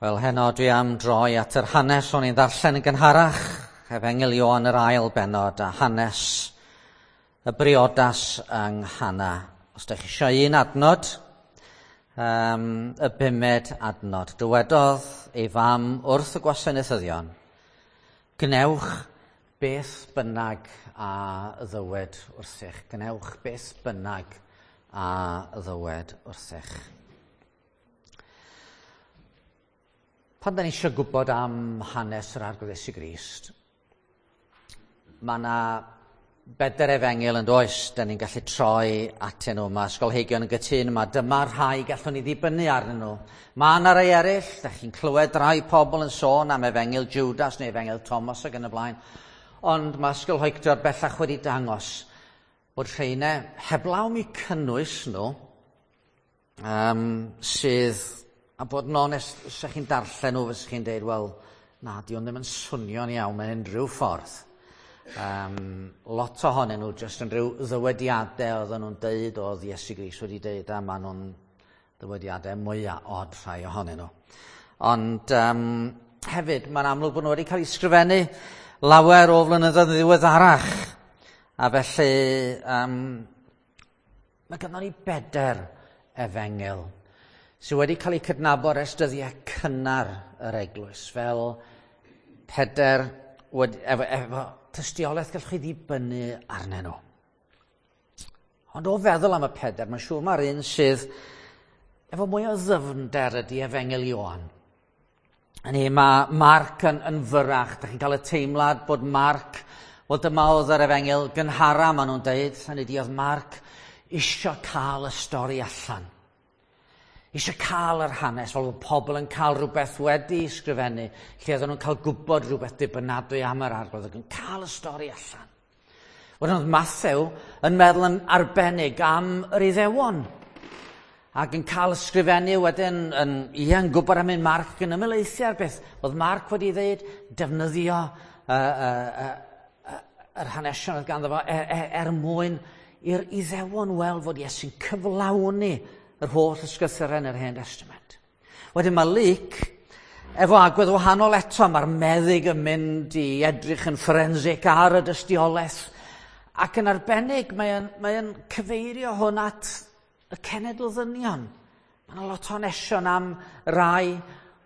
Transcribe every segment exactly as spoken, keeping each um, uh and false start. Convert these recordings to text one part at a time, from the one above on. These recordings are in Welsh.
Wel, heno dwi am droi at yr hanes o'n i'n ddarllen yn gynharach, Efengyl Ioan yr ail bennod, a hanes y briodas yng Nghana. Os ydych chi eisiau un adnod, um, y bumed adnod. Dywedodd ei fam wrth y gwasanaethyddion, "Gwnewch beth bynnag a ddywed wrthych. Gwnewch beth bynnag a ddywed wrthych." Pan da ni eisiau gwybod am hanes yr Arglwydd Iesu Grist, mae yna bedair efengyl yn does, da ni'n gallu troi atyn nhw. Mae ysgolheigion yn gytûn yma, dyma rhai gallwn ni ddibynnu arnyn nhw. Mae yna rai eraill, da chi'n clywed rai pobl yn sôn am efengyl Judas neu efengyl Thomas ac yn y blaen, ond mae ysgolheictod bellach wedi dangos bod rheina heblaw mi cynnwys nhw, um, sydd... A bod yn onest, os ydych chi'n darllen nhw, fysych chi'n deud, wel, na, di hwn ddim yn swnio'n iawn mewn unrhyw ffordd. Um, lot ohonyn nhw jyst yn rhyw ddywediadau oedden nhw'n deud, oedd Iesu Grist wedi deud, a maen nhw'n ddywediadau mwyaf od rhai ohonyn nhw. Ond um, hefyd, mae'n amlwg bod nhw wedi cael eu sgrifennu lawer o flynyddoedd yn ddiweddarach. A felly, um, mae gynnon ni bedair efengyl sydd wedi cael eu cydnabod ers dyddiau cynnar yr eglwys, fel pedair wedi, efo, efo tystiolaeth gallwch chi ddibynnu arnyn nhw. Ond o feddwl am y pedair, mae'n siŵr mae'r un sydd efo mwy o ddyfnder ydy Efengyl Ioan. Hynny, mae Marc yn, yn fyrrach. Da chi'n cael y teimlad bod Marc, wel dyma oedd yr efengyl gynhara, maen nhw'n deud, hynny ydi oedd Marc isio cael y stori allan. Eisiau cael yr hanes, fel bod pobl yn cael rhywbeth wedi sgrifennu, lle oedden nhw'n cael gwybod rhywbeth dibynadwy am yr Arglwydd, ac yn cael y stori allan. Wedyn oedd Mathew yn meddwl yn arbennig am yr Iddewon, ac yn cael ysgrifennu wedyn, yn, ie, yn gwybod am un Marc yn ymhelaethu ar beth. Oedd Marc wedi dweud, defnyddio uh, uh, uh, uh, yr hanesion oedd ganddo fo er, er, er mwyn i'r Iddewon weld fod Iesu'n cyflawni yr holl ysgrythurau yn yr Hen Testament. Wedyn mae Luc, efo agwedd wahanol eto, mae'r meddyg yn mynd i edrych yn fforensic ar y dystiolaeth, ac yn arbennig mae'n mae cyfeirio hwn at y cenedl ddynion. Mae yna lot o hanesion am rai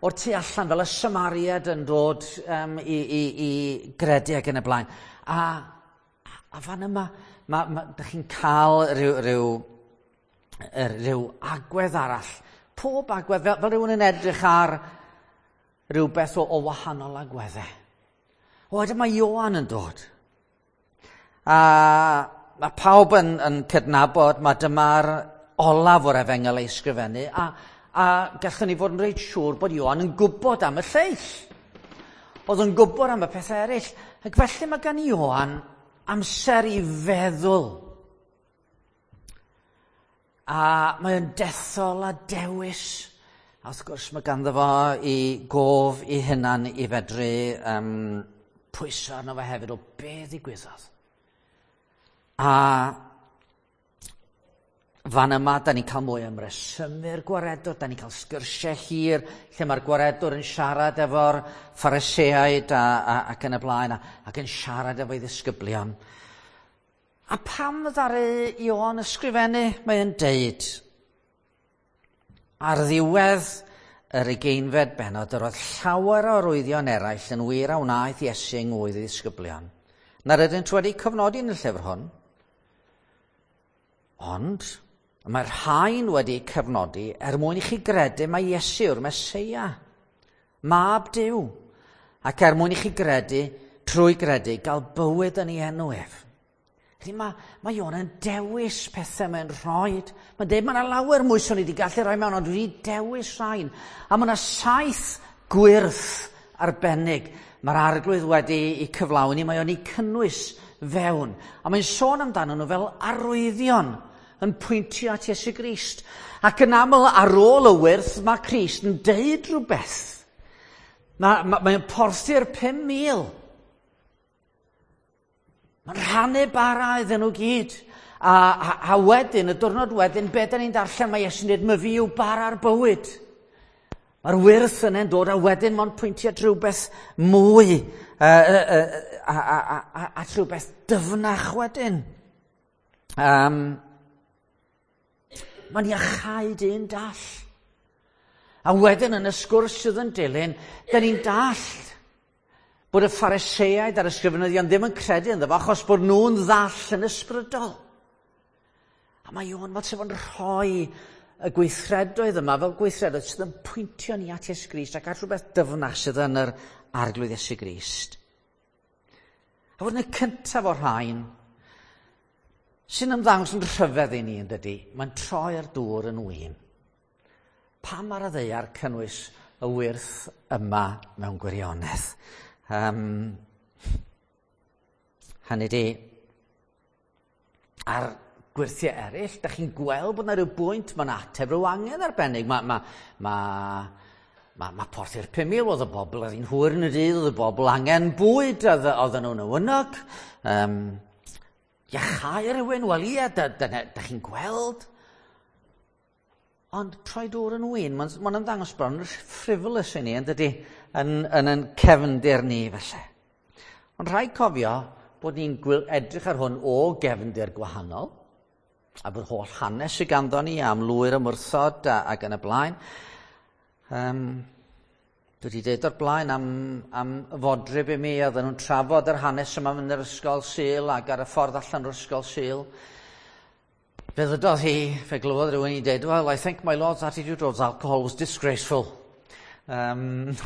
o'r tu allan, fel y Samariad yn dod um, i, i, i gredu ac yn y blaen. A, a fan yma, ma, ma, dych chi'n cael rhyw, rhyw rhyw agwedd arall. Pob agwedd, fel, fel rhywun yn edrych ar rhywbeth o, o wahanol agweddau. O, wedyn mae Ioan yn dod. A mae pawb yn, yn cydnabod, mae dyma'r olaf o'r efengyl ei sgrifennu, a, a gallwn ni fod yn reit siŵr bod Ioan yn gwybod am y lleill. Oedd yn gwybod am y pethau eraill. Ac felly mae gan Ioan amser i feddwl. A mae o'n dethol a dewis. A wrth gwrs mae ganddo fo i gof i hunan i fedru um, pwyso arno fo hefyd o be ddigwyddodd. A fan yma, da ni'n cael mwy am resymu'r gwaredwr, da ni'n cael sgyrsiau hir lle mae'r gwaredwr yn siarad efo'r Phariseaid a, a, ac yn y blaen, a, ac yn siarad efo'i ddisgyblion. A pam ddaru Ioan ysgrifennu, mae'n deud, ar ddiwedd yr ugeinfed bennod, yr oedd llawer o arwyddion eraill yn wir a wnaeth Iesu yng ngwydd ei ddisgyblion, na'r ydynt wedi cofnodi yn y llyfr hwn. Ond mae'r rhain wedi cofnodi er mwyn i chi gredu mai Iesu yw'r Meseia, Mab Duw, ac er mwyn i chi gredu, trwy gredu, gael bywyd yn ei enw ef. Felly mae, mae Ioan yn dewis pethau mae'n rhoi. Mae'n deud, mae yna lawer mwy swn i wedi gallu rhoi mewn, ond dwi wedi dewis rhain. A mae yna saith gwyrth arbennig mae'r Arglwydd wedi ei cyflawni, mae o'n ei cynnwys fewn. A mae'n sôn amdano nhw fel arwyddion yn pwyntio at Iesu Grist. Ac yn aml ar ôl y wyrth, mae Crist yn deud rhywbeth. Mae, mae, mae'n porthi'r pum mil. Mae'n rhannu bara iddyn nhw gyd. A, a, a wedyn, y diwrnod wedyn, be da ni'n darllen, mae Iesu'n dweud, "My fi yw bara'r bywyd." Mae'r wyrth yna'n dod a wedyn mae'n pwyntio at rhywbeth mwy uh, uh, uh, a, a, a, a, at rhywbeth dyfnach wedyn. Um, mae'n iachau dyn dall. A wedyn yn y sgwrs sydd yn dilyn, da ni'n dallt bod y Phariseaid a'r ysgrifenyddion ddim yn credu ynddo fo achos bod nhw'n ddall yn ysbrydol. A mae Ioan fel sef yn rhoi y gweithredoedd yma fel gweithredoedd sydd yn pwyntio ni at Iesu Grist ac at rhywbeth dyfnach sydd yn yr Arglwydd Iesu Grist. A fod yn y cyntaf o'r rhain, sy'n ymddangos yn rhyfedd i ni yn dydy, mae'n troi'r dŵr yn win. Pam ar y ddaear cynnwys y wyrth yma mewn gwirionedd? Um, hynny di, ar gwyrthiau eraill, da chi'n gweld bod yna rhyw bwynt, mae'n ateb rhyw angen arbennig. Mae ma, ma, ma, ma porthi'r pum mil, oedd y bobl, oedd hi'n hwyr yn y dydd, oedd y bobl angen bwyd, oedd, oedden nhw'n awynog. Um, iachau rhywun, wel ie, da, da, da, da chi'n gweld. Ond troi dŵr yn win, mae'n ma ymddangos bron yn frivolous i ni, yn dydy, yn, yn, yn cefndir ni felly. Ond rhaid cofio bod ni'n edrych ar hwn o gefndir gwahanol, a bod holl hanes sydd ganddo ni am lwyr ymwrthod a, ac yn y blaen. Um, dwi wedi dweud o'r blaen am, am fodryb i mi, oedden nhw'n trafod yr hanes yma yn yr ysgol Sul ac ar y ffordd allan o'r ysgol Sul. Fe ddydodd hi, fe glywodd rhywun i dweud, "Well, I think my Lord's attitude towards alcohol was disgraceful." Um,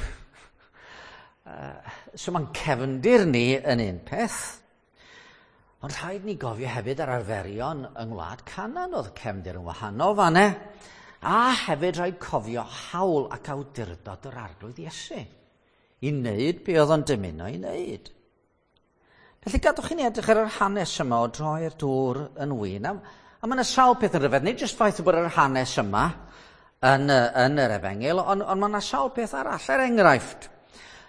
uh, so mae'n cefndir ni yn un peth. Ond rhaid ni gofio hefyd ar arferion yng Ngwlad Canan, oedd cefndir yn wahanol fanne. A hefyd rhaid cofio hawl ac awdurdod yr Arglwydd Iesu i wneud be oedd o'n dymuno i wneud. Felly gadwch i ni edrych ar yr hanes yma o droi'r dŵr yn win. A, a mae yna sawl peth yn rhyfedd, nid jyst ffaith bod yr hanes yma yn, yn yr efengyl, ond, ond mae yna sawl peth arall, er enghraifft.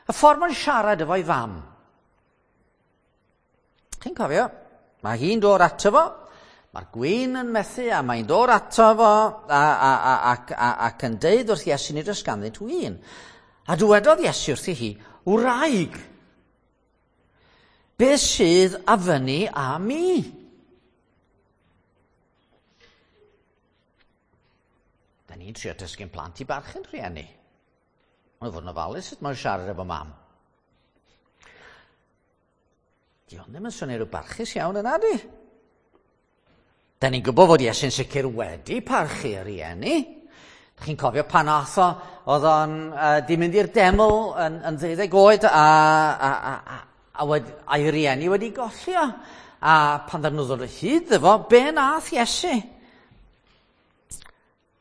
Y ffordd mae'n siarad efo'i fam. Chi'n cofio? Mae hi'n dod ato fo, mae'r gwin yn methu a mae'n dod ato fo a, a, a, ac, a, ac yn deud wrth Iesu nid oes ganddynt win. A dywedodd Iesu wrthi hi, "Wraig, beth sydd a fyny â mi?" Da ni'n trio dysgu'n plant i barchu'n rhieni. Mae'n fod yn ofalus sut mae'n siarad efo mam. Di hwn ddim yn swnio rhyw barchus iawn yna, di? Da ni'n gwybod fod Iesu'n sicr wedi parchu yr rieni. Da chi'n cofio pan ath o, oedd o'n uh, di mynd i'r deml yn, yn ddeuddeg oed a, a, a, a, a wed, a'i rieni wedi golli o. A pan ddyn nhw ddod o hyd iddo fo, be nath Iesu?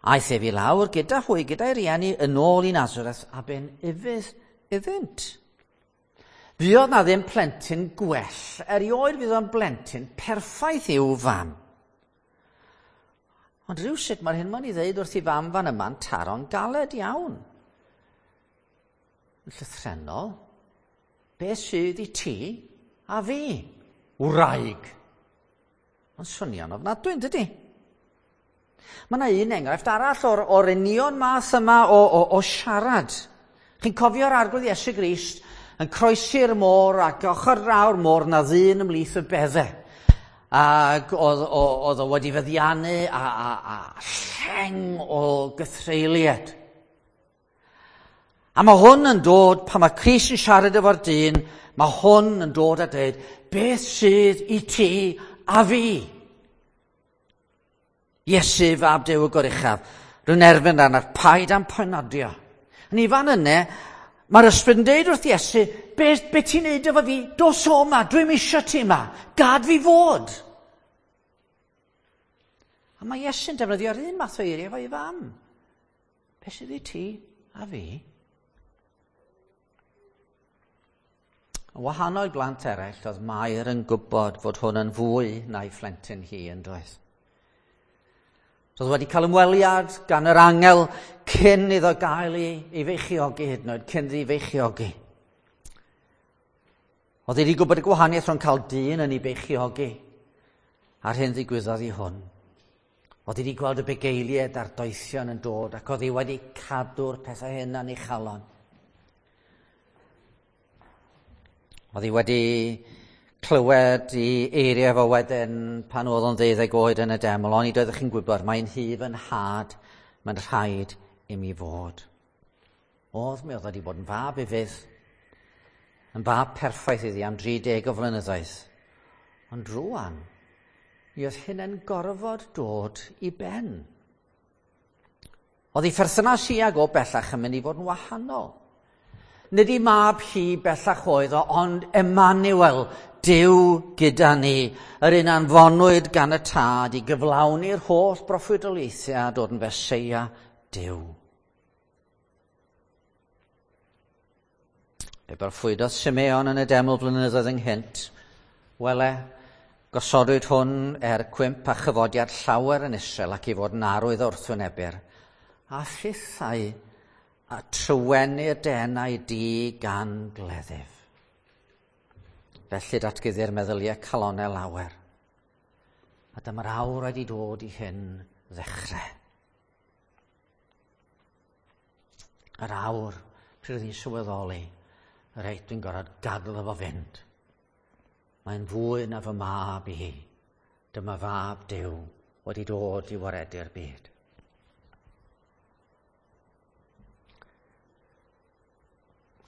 Aeth ef i lawr gyda hwy, gyda'i rieni, yn ôl i Nazareth a bu'n ufudd iddynt. Fuodd na ddim plentyn gwell, erioed fydd o'n blentyn perffaith i'w fam. Ond rhywsut mae'r hyn mae'n ei ddeud wrth i fam fan yma'n taro'n galed iawn. Yn llythrennol, beth sydd i ti a fi? Wraig. Mae'n swnio'n ofnadwy, yn dydi? Mae yna un enghraifft arall o'r, o'r union math yma o, o, o siarad. Chi'n cofio'r Arglwydd Iesu Grist yn croesi'r môr ac ochr draw'r môr na ddyn ymhlith y beddau. Ac oedd, oedd o wedi feddiannu a, a, a lleng o gythreuliad. A mae hwn yn dod, pan mae Crist yn siarad efo'r dyn, mae hwn yn dod a dweud, beth sydd i ti a fi? Iesu fab Duw y Goruchaf, rwy'n erfyn arnaf, paid â'm poenodio. Yn i fan yna, mae'r ysbryd yn deud wrth Iesu, be, be ti'n neud efo fi? Dos o yma, dwi'm isio ti yma, gad fi fod. A mae Iesu'n defnyddio'r un math o eiriau efo'i fam. Be sydd i ti a fi? Yn wahanol i blant eraill, oedd Mair yn gwybod fod hwn yn fwy na'i phlentyn hi yn doedd. Roedd wedi cael ymweliad gan yr angel cyn iddo gael ei, ei feichiogi hyd yn oed, cyn iddi feichiogi. Oedd wedi gwybod y gwahaniaeth rhwng cael dyn yn ei beichiogi a'r hyn ddigwyddodd i hwn. Oedd hi wedi gweld y bugeiliaid a'r doethion yn dod ac oedd hi wedi cadw'r pethau hyn yn ei chalon. Oedd hi wedi clywed i eiriau fo wedyn pan oedd o'n ddeuddeg oed yn y deml, ond nid oeddech chi'n gwybod, mae'n hyf yn had, mae'n rhaid i mi fod. Oedd, mi oedd wedi bod yn fab ufudd, yn fab perffaith iddi am dri deg o flynyddoedd. Ond rŵan, mi oedd hynny'n gorfod dod i ben. Oedd ei pherthynas hi ag o bellach yn mynd i fod yn wahanol. Nid ei mab hi bellach oedd o, ond Emmanuel, Duw gyda ni, yr un anfonwyd gan y Tad i gyflawni'r holl broffwydoliaethau a dod yn Feseia Duw. Fe broffwydodd Simeon yn y deml blynyddoedd ynghynt. Wele, gosodwyd hwn er cwymp a chyfodiad llawer yn Israel ac i fod yn arwydd wrthwynebwyr. A thithau a trywenu'r denau di gan gleddyf. Felly datguddi'r meddyliau calonau lawer. A dyma'r awr wedi dod i hyn ddechrau. Yr awr pryd oedd hi'n sylweddoli, reit, dwi'n gorfod gadael efo fynd. Mae'n fwy na fy mab i. Dyma fab Duw wedi dod i waredu'r byd.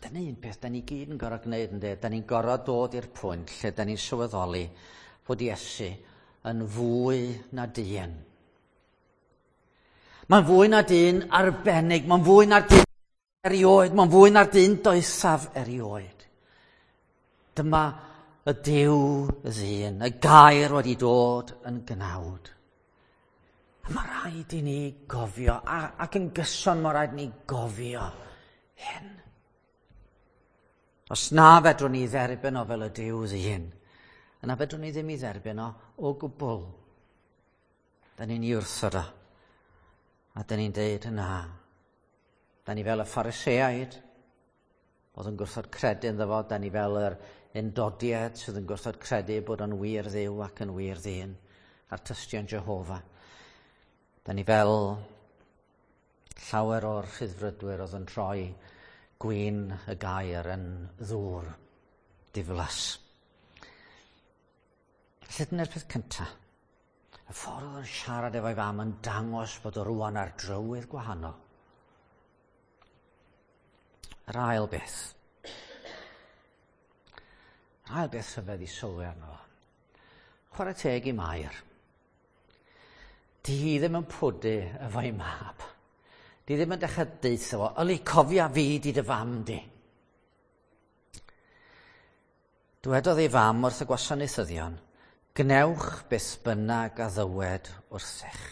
Dyna un peth da ni gyd yn gorfod gwneud, ynddo? Da ni'n gorfod dod i'r pwynt lle da ni'n sylweddoli fod Iesu yn fwy na dyn. Mae'n fwy na dyn arbennig, mae'n fwy na'r dyn erioed, mae'n fwy na'r dyn doethaf erioed. Dyma y Duw ddyn, y gair wedi dod yn gnawd. A mae rhaid i ni gofio, a, ac yn gyson mae rhaid i ni gofio hyn. Os na fedrwn ni dderbyn o fel y Duw ddyn, yna fedrwn ni ddim i dderbyn o o gwbl. Da ni'n ei wrthod o, a da ni'n deud na. Da ni fel y Phariseaid, oedd yn gwrthod credu ynddo fo, da ni fel yr Undodiaid sydd yn gwrthod credu bod o'n wir Dduw ac yn wir ddyn, a'r tystion Jehofa. Da ni fel llawer o'r rhyddfrydwyr oedd yn troi gwin y gair yn ddŵr diflas. Felly dyna'r peth cyntaf. Y ffordd oedd yn siarad efo'i fam yn dangos bod o rŵan ar drywydd gwahanol. Yr ail beth. Yr ail beth rhyfedd i sylwi arno fo. Chwarae teg i Mair. Di hi ddim yn pwdu efo'i mab. Di ddim yn dechrau deutha fo, yli cofia fi di dy fam di. Dwedodd ei fam wrth y gwasanaethyddion, gnewch beth bynnag a ddywed wrthych.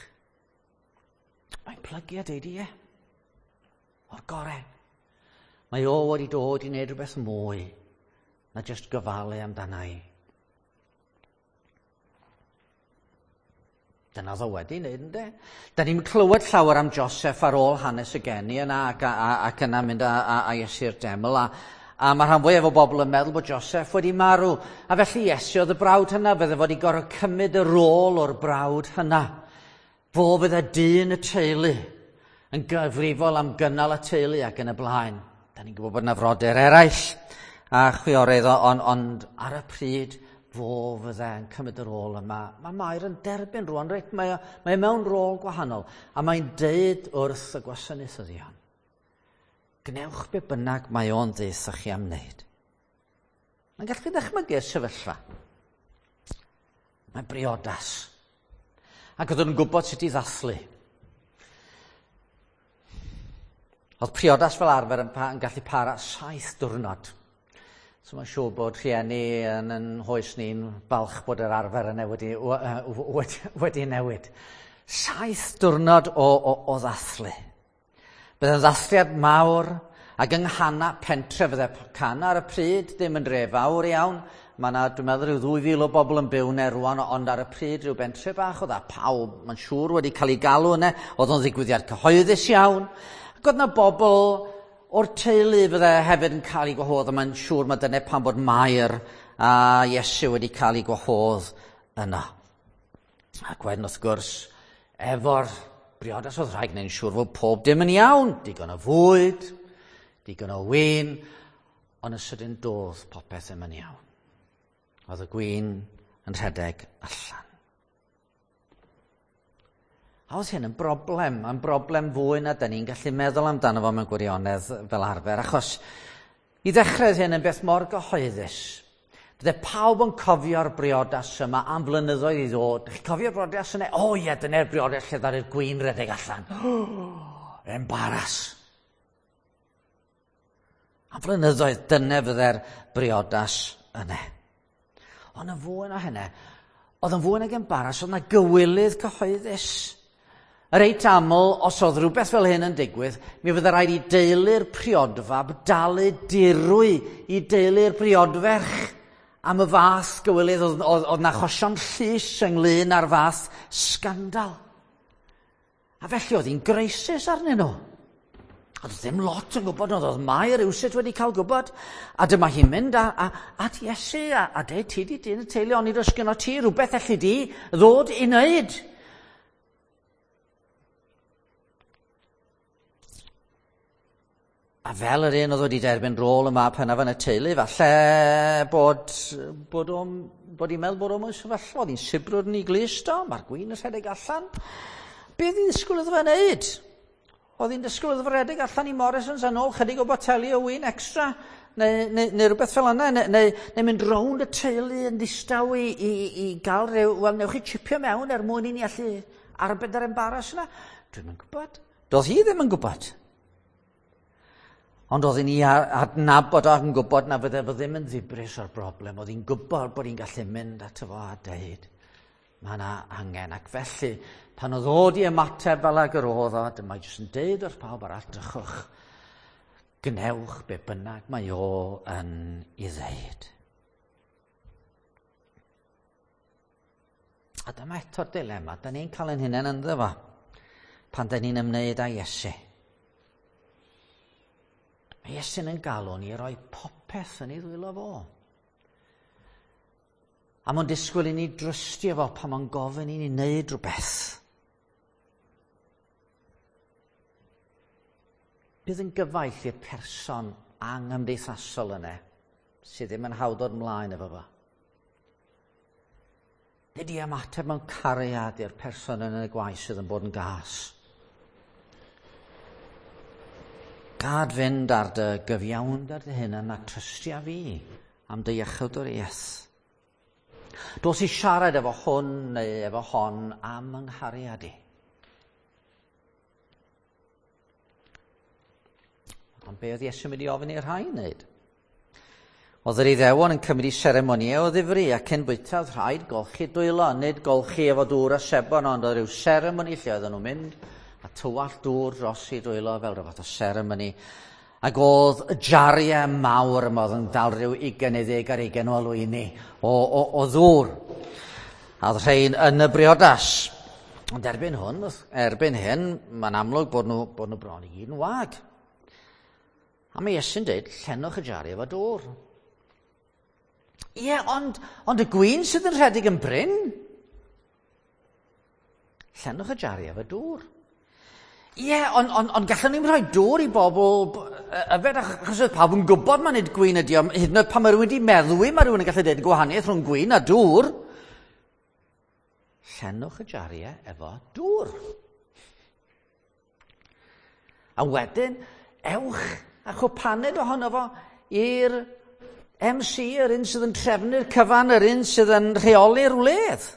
Mae'n plygu a deud ie. O'r gorau. Mae o wedi dod i wneud rhywbeth mwy na jyst gofalu amdana i. Dyna oedd o wedi wneud, ynddo? Da ni'n clywed llawer am Joseph ar ôl hanes y geni yna ac, a, a, ac yna mynd â, a, a Iesu'r deml. A, a mae rhan fwyaf o bobl yn meddwl bod Joseph wedi marw. A felly Iesu oedd y brawd hynna, fydde fod i gorfod cymryd y rôl o'r brawd hynna. Fo fydde dyn y teulu yn gyfrifol am gynnal y teulu ac yn y blaen. Da ni'n gwybod bod yna frodyr eraill a chwiorydd, ond, ond ar y pryd fo fydde yn cymryd y rôl yma. Mae Mair yn derbyn rŵan, reit, mae, mae mewn rôl gwahanol, a mae'n deud wrth y gwasanaethyddion, gnewch be bynnag mae o'n deutha chi am wneud. Mae'n gallu ddychmygu'r sefyllfa. Mae'n briodas. Ac oedd nhw'n gwybod sut i ddathlu. Oedd priodas fel arfer yn, pa, yn gallu para saith diwrnod. So mae'n siŵr bod rhieni yn, yn hoes ni'n balch bod yr arfer yna wedi, wedi, wedi newid. Saith diwrnod o, o, o ddathlu. Bydd yn ddathliad mawr ac yng Nghana pentre fydde Cana ar y pryd, ddim yn dre fawr iawn. Mae yna, dwi'n meddwl, rhyw ddwy fil o bobl yn byw yna rŵan, ond ar y pryd rhyw bentre bach oedd a pawb, mae'n siŵr, wedi cael ei galw yna. Oedd o'n ddigwyddiad cyhoeddus iawn. Ac oedd yna bobl o'r teulu fydde hefyd yn cael ei gwahodd, a mae'n siŵr mae dyna pam bod Mair a Iesu wedi cael ei gwahodd yna. Ac wedyn, wrth gwrs, efo'r briodas, oedd rhaid gwneud yn siŵr fod pob dim yn iawn. Digon o fwyd, digon o win, ond yn sydyn doedd popeth ddim yn iawn. Oedd y gwin yn rhedeg allan. A oedd hyn yn broblem, yn broblem fwy na dyn ni'n gallu meddwl amdano fo mewn gwirionedd fel arfer, achos i ddechrau oedd hyn yn beth mor gyhoeddus. Bydde pawb yn cofio'r briodas yma am flynyddoedd i ddod. Chi'n cofio'r briodas yna? O ie, dyna'r briodas lle ddaru'r gwin redeg allan. Embaras. Am flynyddoedd, dyna fydde'r briodas yna. Ond yn fwy na hynny, oedd yn fwy nag embaras, oedd yna gywilydd cyhoeddus. Reit aml, os oedd rhywbeth fel hyn yn digwydd, mi fydde rhaid i deulu'r priodfab dalu dirwy i deulu'r priodferch am y fath gywilydd. Oedd, oedd, oedd 'na achosion llys ynglyn â'r fath sgandal. A felly oedd hi'n greisus arnyn nhw. Oedd ddim lot yn gwybod, ond oedd Mair rywsut wedi cael gwybod. A dyma hi'n mynd a, a, at Iesu a, a deud, ti di dyn y teulu, ond nid oes gynno ti rhywbeth elli di ddod i wneud. A fel yr un oedd wedi derbyn rôl y mab hynaf yn y teulu, falle bod, bod, o'n, bod hi'n meddwl bod o'n sefyllfa, oedd hi'n sibrwd yn ei glust o, mae'r gwin yn rhedeg allan. Be oedd hi'n ddisgwyl iddo fe wneud? Oedd hi'n disgwyl iddo fe redeg allan i Morrisons yn ôl chydig o boteli o win extra, neu, neu, neu rhywbeth fel yna, neu, neu, neu mynd rownd y teulu yn ddistaw i, i, i gael rhyw, wel, newch chi chipio mewn er mwyn i ni allu arbed yr embaras yna. Dwi'm yn gwybod. Doedd hi ddim yn gwybod. Ond oedd hi'n ei adnabod ac yn gwybod na fydde fo ddim yn ddibris o'r broblem. Oedd hi'n gwybod bod hi'n gallu mynd ato fo a deud, mae yna angen. Ac felly, pan oedd o di ymateb fel ag yr oedd o, dyma jyst yn deud wrth pawb arall, drychwch, gwnewch be bynnag mae o yn ei ddeud. A dyma eto'r dilema, da ni'n cael ein hunain ynddo fo, pan da ni'n ymwneud â Iesu. Mae Iesu'n yn galw ni i roi popeth yn ei ddwylo fo. A mae'n disgwyl i ni drystio fo pan mae'n gofyn i ni wneud rhywbeth. Bydd yn gyfaill i'r person angymdeithasol yna sydd ddim yn hawdd dod ymlaen efo fo. Nid i ymateb mewn cariad i'r person yn y gwaith sydd yn bod yn gas. Gad fynd ar dy gyfiawnder dy hunan a trystia fi am dy iechydwriaeth. Dos i siarad efo hwn neu efo hon am yng nghariad i. Ond be oedd Iesu'n mynd i ofyn i'r rhai wneud? Oedd yr Iddewon yn cymryd seremonïau o ddifri ac cyn bwyta oedd rhaid golchi dwylo, nid golchi efo dŵr a sebon, ond oedd rhyw seremoni lle oedden nhw'n mynd a tywallt dŵr dros i dwylo fel rhywbeth o seremoni. Ac oedd y jariau mawr yma oedd yn dal rhyw ugain neu ddeg ar ugain o alwyni o, o, o ddŵr. A oedd rhain yn y briodas. Ond erbyn hwn, erbyn hyn, mae'n amlwg bod nhw, bod nhw bron i gyd yn wag. A mae Iesu'n dweud, llenwch y jariau efo dŵr. Ie, ond, ond y gwin sydd yn rhedeg yn brin. Llenwch y jariau efo dŵr. Ie, ond on, on gallwn ni'n rhoi dŵr i bobl yfed, achos oedd pawb yn gwybod mae nid gwin ydi o. Hyd yn oed pan mae rhywun wedi meddwi, mae rhywun yn gallu dweud gwahaniaeth rhwng gwin a dŵr. Llenwch y jariau efo dŵr. A wedyn, ewch a chwpaned ohono fo i'r M C, yr un sydd yn trefnu'r cyfan, yr un sydd yn rheoli'r wledd.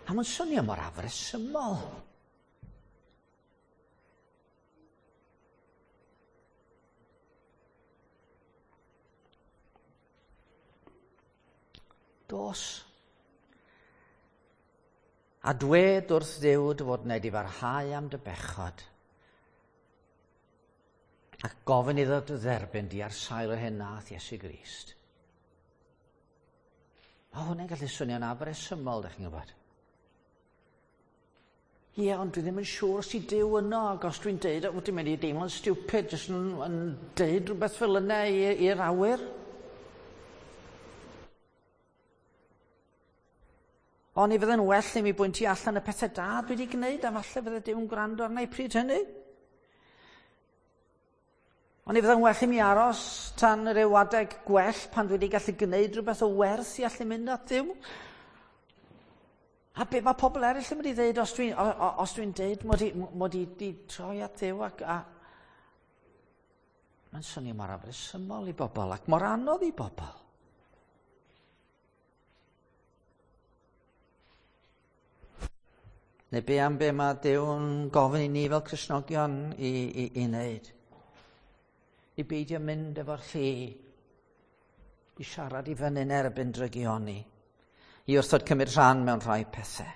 A mae'n swnio mor afresymol. Dos. A dwed wrth Dduw dy fod wneud i farhau am dy bechod. Ac gofyn iddo dy dderbyn di ar sail yr hyn nath Iesu Grist. Mae hwnna'n gallu swnio'n afresymol, dych chi'n gwybod. Ie, ond dwi ddim yn siŵr os i Duw yno, ac os dwi'n deud, o, dwi'n mynd i deimlo'n stupid, jyst yn, yn deud rhywbeth fel yna i'r awyr. Oni fydde'n well i mi bwyntio allan y pethau da dwi wedi gwneud, a falle fydde Duw'n gwrando arna i pryd hynny. Oni fydde'n well i mi aros tan ryw adeg gwell pan dwi wedi gallu gwneud rhywbeth o werth i allu mynd at Dduw? A be mae pobl eraill yn mynd i ddeud os dwi'n os dwi'n deud mod i, mod i di troi at Dduw ac a... Mae'n swnio mor afresymol i bobl ac mor anodd i bobl. Neu be am be mae Duw'n gofyn i ni fel Cristnogion i, i, i wneud? I beidio mynd efo'r llu, i siarad i fyny'n erbyn drygioni, i wrthod cymryd rhan mewn rhai pethau,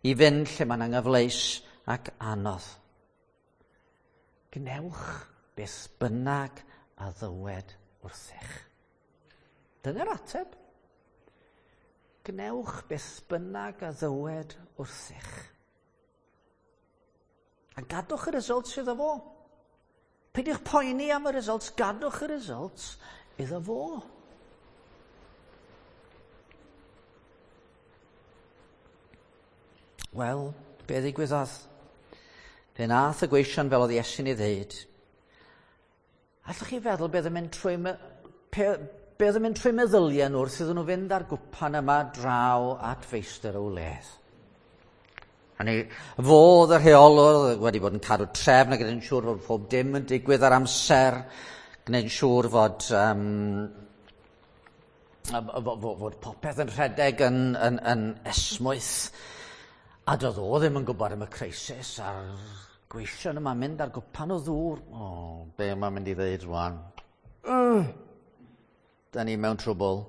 i fynd lle mae'n anghyfleus ac anodd. Gwnewch beth bynnag a ddywed wrthych. Dyna'r ateb. Gwnewch beth bynnag a ddywed wrthych. A gadwch y results iddo fo. Peidiwch poeni am y results, gadwch y results iddo fo. Wel, be ddigwyddodd? Fe nath y gweision fel oedd Iesu'n ei ddeud. Allwch chi feddwl beth yn mynd trwy... Pe, Be oedd yn mynd trwy meddyliau nhw wrth iddyn nhw fynd ar gwpan yma draw at feistr y wledd. Hynny, fo oedd y rheolwr wedi bod yn cadw trefn ac gwneud yn siŵr fod pob dim yn digwydd ar amser, gwneud yn siŵr fod, um, fod popeth yn rhedeg yn, yn, yn esmwyth. A doedd o ddim yn gwybod am y crisis a'r gweision yma'n mynd ar gwpan o ddŵr. O, be mae'n mynd i ddeud rwan? Uh. Da ni mewn trwbl.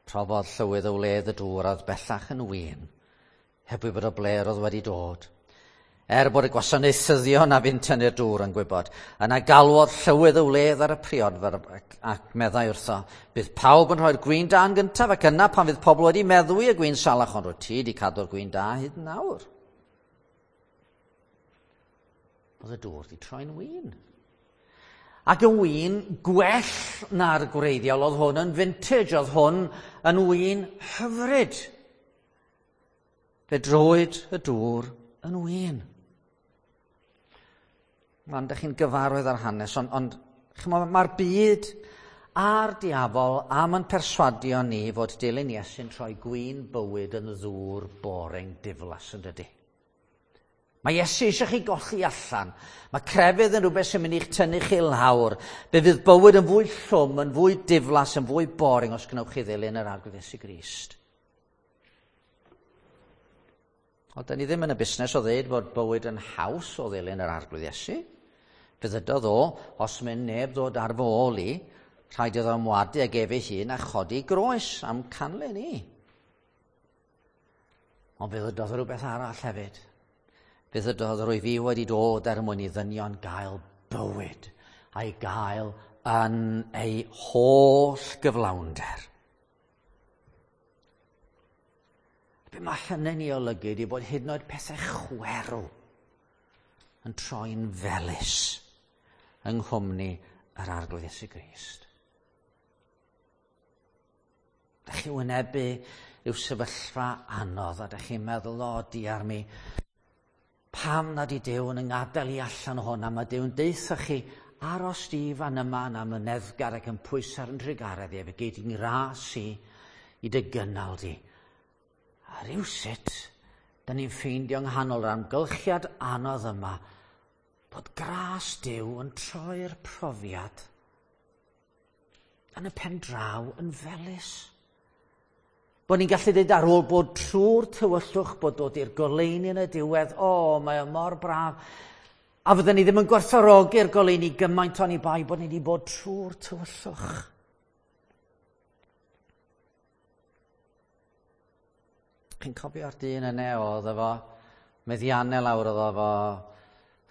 Profodd llywydd y wledd y dŵr a oedd bellach yn win, heb wybod o ble'r oedd wedi dod. Er bod y gwasanaethyddion a fu'n tynnu'r dŵr yn gwybod, yna galwodd llywydd y wledd ar y priodfer ac, ac meddai wrtho, bydd pawb yn rhoi'r gwin da yn gyntaf ac yna pan fydd pobl wedi meddwi y gwin salach, ond rwyt ti wedi cadw'r gwin da hyd nawr. Oedd y dŵr wedi troi'n win. Ac yn win gwell na'r gwreiddiol, oedd hwn yn vintage, oedd hwn yn win hyfryd. Fe drowyd y dŵr yn win. Mae'n dych chi'n gyfarwydd ar hanes, ond, ond mae'r byd a'r diafol am yn perswadio ni fod dilyn Iesu'n troi gwin bywyd yn ddŵr boring diflas yn dydi. Mae Iesu eisiau chi golli allan. Mae crefydd yn rhywbeth sy'n mynd i'ch tynnu chi lawr. Fe fydd bywyd yn fwy llwm, yn fwy diflas, yn fwy boring os gwnewch chi ddilyn yr Arglwydd Iesu Grist. Ond da ni ddim yn y busnes o ddeud bod bywyd yn haws o ddilyn yr Arglwydd Iesu. Fe ddydodd o, os mynd neb ddod ar fy ôl i, rhaid iddo ymwadu ag ef ei hun a chodi groes am canlyn i. Ond fe ddydodd rhywbeth arall hefyd. Fe ddydodd rwy fi wedi dod er mwyn i ddynion gael bywyd a'i gael yn ei holl gyflawnder. Be mae hynny'n ei olygu ydy bod hyd yn oed pethau chwerw yn troi'n felys yng nghwmni yr Arglwydd Iesu Grist. Dach chi wynebu yw sefyllfa anodd a dach chi'n meddwl, o, diar mi, pam nad i Duw yn yngadael i allan o hwn, a mae Duw'n deutha chi aros di fan yma na myneddgar ac yn pwysau yn trugaredd i, efo gei di'n ras i i dy gynnal di. A rywsut, da ni'n ffeindio nghanol yr amgylchiad anodd yma bod gras Duw yn troi'r profiad yn y pen draw yn felys. Bod ni'n gallu dweud ar ôl bod trwy'r tywyllwch, bod dod i'r goleuni yn y diwedd, o, mae o mor braf. A fydden ni ddim yn gwerthfawrogi'r goleuni gymaint oni bai bod ni wedi bod trwy'r tywyllwch. Chi'n cofio'r dyn yna oedd efo meddiannau lawr, oedd efo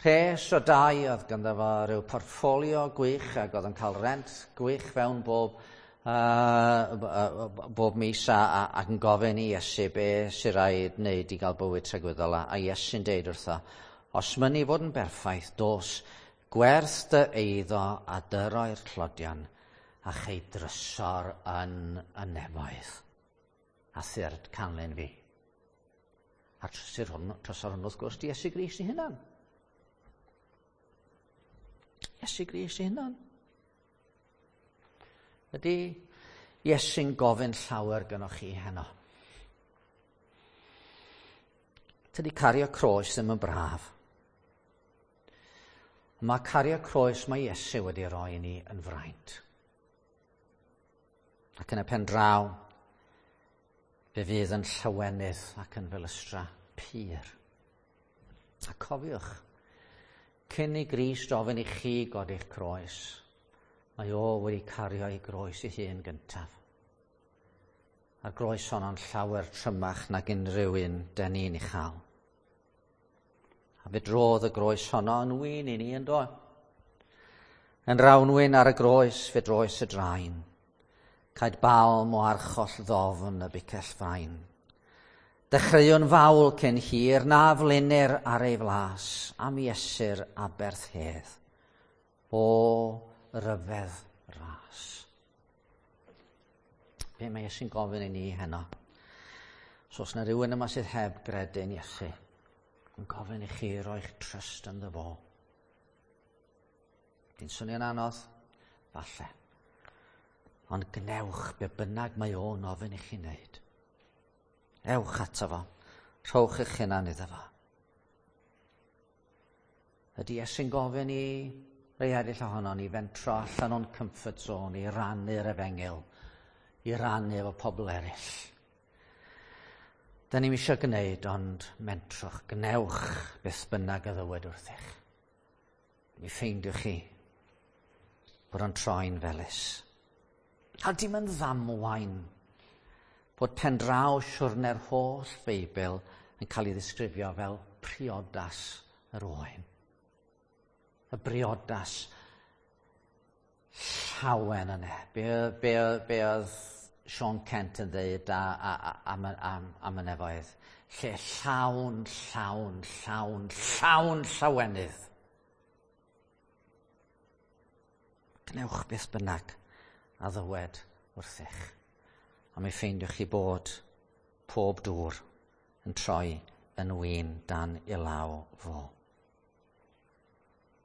rhes o dai, oedd ganddo fo rhyw portffolio gwych ac oedd yn cael rent gwych fewn bob Uh, bob mis a, a, ac yn gofyn i Iesu be sy'n rhaid wneud i gael bywyd tragwyddol a, a Iesu'n deud wrtho, os mynnu fod yn berffaith, dos, gwerth dy eiddo a dyroi'r tlodion a chei drysor yn y nefoedd. A thyrd canlyn fi. A trysor hwn, trysor hwn wrth gwrs di Iesu Grist ei hunan. Iesu Grist ei hunan. Ydy Iesu'n gofyn llawer gynnwch chi heno? Tydi cario croes ddim yn braf. Mae cario croes mae Iesu wedi roi i ni yn fraint. Ac yn y pen draw, fe fydd yn llawenydd ac yn felystra pur. A cofiwch, cyn i Grist ofyn i chi godi'ch croes, mae o wedi cario ei groes ei hun gyntaf. A'r groes honno'n llawer trymach nag unrhyw un den ni'n ei chael. A fe drodd y groes honno yn win i ni yn do. Yn rawnwyn ar y groes fe droes y draen. Caed balm o archoll ddofn y bicell fain. Dechreuwn fawl cyn hir na flinir ar ei flas am Iesu'r aberth hedd. O ryfedd ras. Be mae Iesu'n gofyn i ni heno? So os yna rhywun yma sydd heb gredu'n Iesu, yn gofyn i chi roi'ch trust ynddo fo. Di'n swnio'n anodd? Falle. Ond gnewch be bynnag mae o'n ofyn i chi wneud. Ewch ato fo. Rhowch eich hunan iddo fo. Ydy Iesu'n gofyn i rei eraill ohonon ni fentro allan o'n comfort zone i rannu'r efengyl, i rannu efo pobl eraill. Da ni'm eisiau gwneud, ond mentrwch, gnewch beth bynnag a ddywed wrthych. Mi ffeindiwch chi bod o'n troi'n felys. A dim yn ddamwain bod pendraw siwrne'r holl Feibl yn cael ei ddisgrifio fel priodas yr oen. Y briodas llawen yna. Be, be, be oedd Sean Kent yn dweud a, a, a, am, am, am y nefoedd? Lle llawn, llawn, llawn, llawn llawenydd. Gnewch beth bynnag a ddywed wrthych. A mi ffeindiwch chi bod pob dŵr yn troi yn win dan i law fo.